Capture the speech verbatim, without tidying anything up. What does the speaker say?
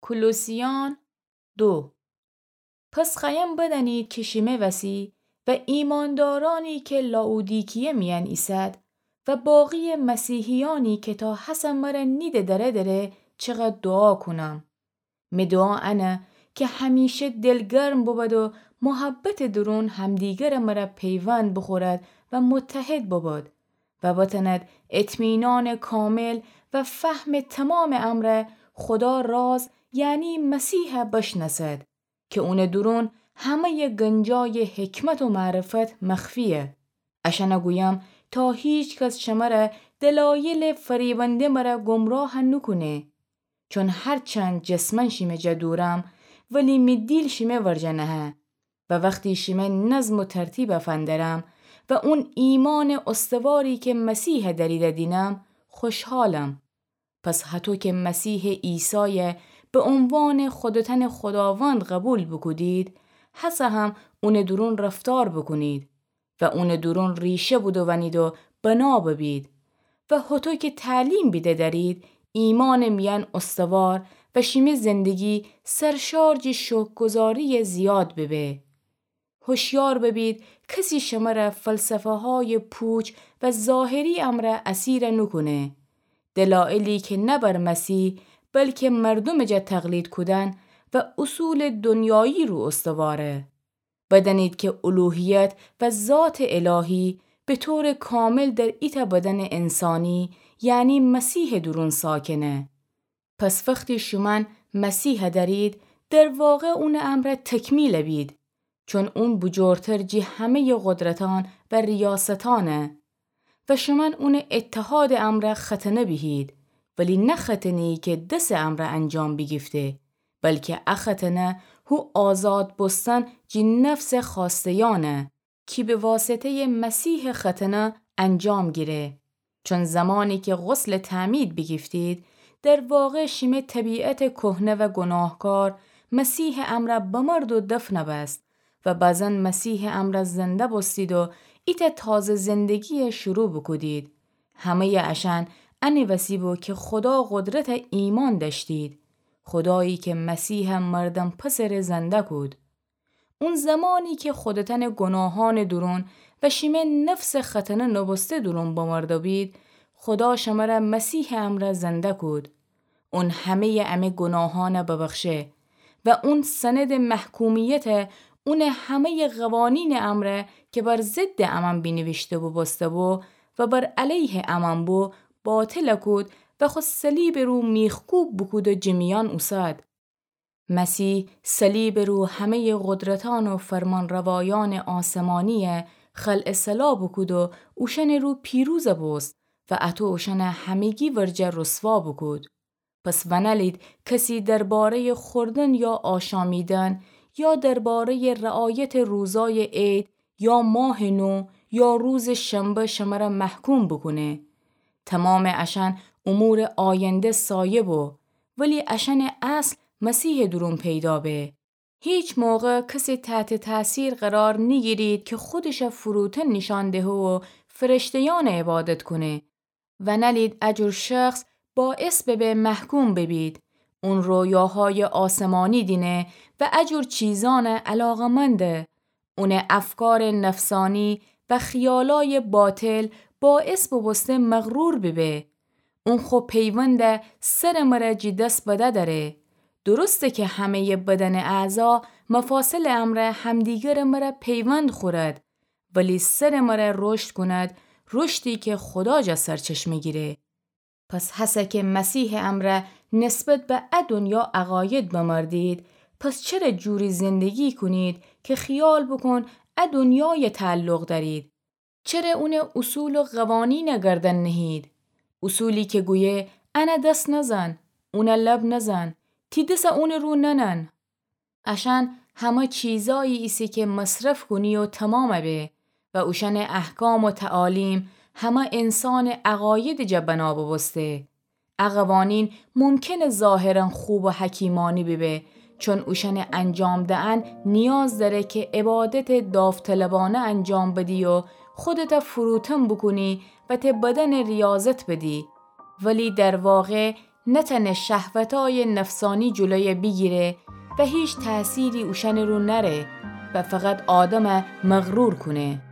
کولوسیان دو. پس خوأیم بدأنید کی شیمه وسی و ایماندارأنی کی لائودیکیه میأن ایسد و باقی مسیحیأنی کی تا هسه مر نیده دره دره چقدر دوعا کونم. می دوعا انه کی همیشه دلگرم بوبد و محبتٚ دورون همدیگرٚ مر پیوند بوخورد و متحد بوبد و بتأند اطمینانٚ کامل و فهمٚ تومامٚ امر خودا راز، یعنی مسیح بشنأسد کی اونٚ دورون همه‌یٚ گنجایٚ حکمت و معرفت مخفییه. اشأن گویم تا هیکس شمر دلایلٚ فریبنده مر گمراه نوکونه. چون هرچند جسماً شیمه جا دورم، ولی می دیل شیمه ورجه نهه. و وختی شیمه نظم و ترتیب فندرم و اون ایمانٚ استواری کی مسیح دأریده دینم، خوشحالم. پس هطو کی مسیح عیسای به عنوانٚ خودتأنٚ خوداوند قوبیل بوکودید، هسه هم اونٚ دورون رفتار بوکونید و اونٚ دورون ریشه بودوأنید و بنا ببید و هطو کی تعلیم بیده دأرید، ایمانٚ میأن استوار و شیمی زندگی سرشار جٚه شکرگزارییٚ زیاد ببه. هوشیار ببید کسی شمر فلسفه‌هایٚ پوچ و ظاهری امر اسیر نوکونه. دلایلی کی نه بر مسیح، بلکی مردومٚ جا تقلید کودن و اصولٚ دنیایی رو استواره. بدأنید کی الوهیت و ذاتٚ الهی به طورٚ کامل در ایتأ بدنٚ انسانی، یعنی مسیحٚ دورون ساکنه. پس وختی شومأن مسیح دأرید، در واقع اونٚ امر تکمیل بید، چون اون بجورتر جٚه همه‌یٚ قدرتأن و ریاستأنه. و شومأن اونٚ اتحادٚ امر ختنه بیهید، ولی نه ختنه‌یی کی دسٚ امر انجام بیگیفته، بلکی ا ختنه هو آزاد بوستن جٚه نفسٚ خوأسته‌یأنه کی به واسطه‌یٚ مسیحٚ ختنه انجام گیره. چون زمانی کی غسلٚ تعمید بیگیفتید، در واقع شیمه طبیعتٚ کهنه و گناهکار مسیحٚ امر بمرد و دفن بست و بزن مسیحٚ امر زنده بوستید و ایتأ تازه زندگی شروع بوکودید. همه‌یٚ اشأن انٚ وسی بو کی خودا قدرت ایمأن دأشتید، خودایی کی مسیح مردن پسٚ ره زنده کود. اون زمانی کی خودتأنٚ گناهأنٚ دورون و شیمه نفسٚ ختنه نوبوسته دورون بمرده بید، خودا شمر مسیحٚ امر زنده کود. اون همه‌یٚ امه گناهأن ببخشه و اون سندٚ محکومیت اونٚ همه‌یٚ قوانینٚ امر کی بر ضدٚ امأن بینیویشته بوبوسته بو و بر علیهٚ امأن بو، باطل کود و خو صلیبٚ رو میخکوب بوکود و جٚه میأن اوسد. مسیح صلیبٚ رو همه‌یٚ قدرتأن و فرمانروایأنٚ آسمانی خلع سلاح بوکود و اوشأنٚ رو پیروز بوست و اطو اوشأن همگی ورجه رسوا بوکود. پس ونألید کسی درباره‌یٚ خوردن یا آشامیدن یا درباره‌یٚ رعایتٚ روزایٚ عید یا ماهٚ نو یا روزٚ شنبه شمر محکوم بوکونه. تومامٚ اشأن امورٚ آینده سایه بو، ولی اشأنٚ اصل مسیحٚ دورون پیدا به. هیچ موقع کسی تحتٚ تأثیر قرار نیگیرید کی خودش فروتن نیشأن دهه و فرشته‌یأن عبادت کونه. ونألید ا جور شخص باعث ببه محکوم ببید. اون رویاهایٚ آسمانی دینه و ا جور چیزأن علاقه‌منده. اونٚ افکارٚ نفسانی و خیالایٚ باطل باعث بوبوسته مغرور ببه. اون خو پیوند سرٚ مر جٚه دس بده دأره. درسته کی همه‌یٚ بدنٚ اعضا مفاصلٚ امر همدیگرٚ مر پیوند خورد، ولی سرٚ مر رشد کند، رشدی کی خودا جا سرچشمه گیره. پس هسه کی مسیحٚ امر نسبت به ا دنیا عقاید بمردید، پس چره جوری زندگی کونید کی خیال بوکون ا دنیای تعلق دأرید؟ چره اونٚ اصول و قوانین گردن نهید؟ اصولی کی گویه ان دس نزن، اون لب نزن، تی دس اونٚ رو ننن. اشأن همه چیزایی ایسه کی مصرف کونی و تومام به و اوشأنٚ احکام و تعالیم همه انسانٚ عقایدٚ جا بنا بوبوسته. ا قوانین ممکنه ظاهراً خوب و حکیمانی ببه، چون اوشأنٚ انجام دئن نیاز دأره کی عبادتٚ داوطلبانه انجام بدی و خودت فروتن بوکونی و ته بدنٚ ریاضت بدی، ولی در واقع نتأنه شهوتأیٚ نفسأنی جلویَ بیگیره و هیچ تأثیری اوشأنٚ رو نأره و فقط آدمَ مغرور کونه.